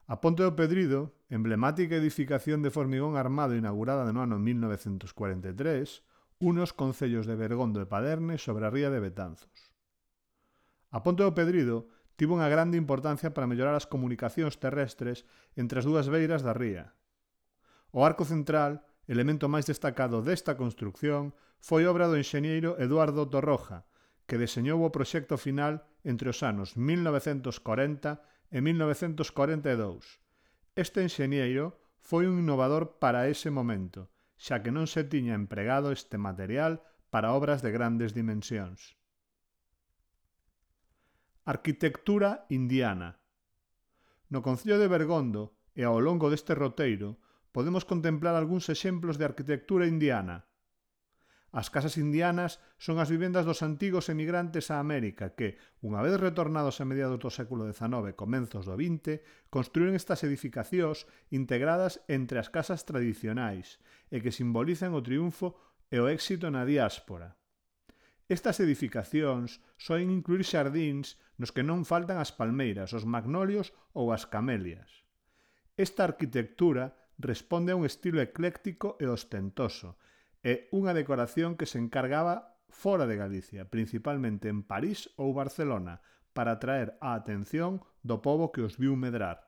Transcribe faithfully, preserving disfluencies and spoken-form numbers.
A Ponte do Pedrido, emblemática edificación de formigón armado inaugurada no ano mil novecentos cuarenta e tres, une os concellos de Bergondo e Paderne sobre a ría de Betanzos. A Ponte do Pedrido tivo unha grande importancia para mellorar as comunicacións terrestres entre as dúas beiras da ría. O arco central, elemento máis destacado desta construcción, foi obra do enxeñeiro Eduardo Torroja, que deseñou o proxecto final entre os anos mil novecentos corenta e mil novecentos corenta e dous. Este enxeñeiro foi un innovador para ese momento, xa que non se tiña empregado este material para obras de grandes dimensións. Arquitectura indiana. No concello de Bergondo e ao longo deste roteiro podemos contemplar algúns exemplos de arquitectura indiana. As casas indianas son as vivendas dos antigos emigrantes a América que, unha vez retornados a mediados do século dezanove e comenzos do vinte, construíron estas edificacións integradas entre as casas tradicionais e que simbolizan o triunfo e o éxito na diáspora. Estas edificacións soen incluir xardíns nos que non faltan as palmeiras, os magnolios ou as camelias. Esta arquitectura responde a un estilo ecléctico e ostentoso, e unha decoración que se encargaba fora de Galicia, principalmente en París ou Barcelona, para atraer a atención do pobo que os viu medrar.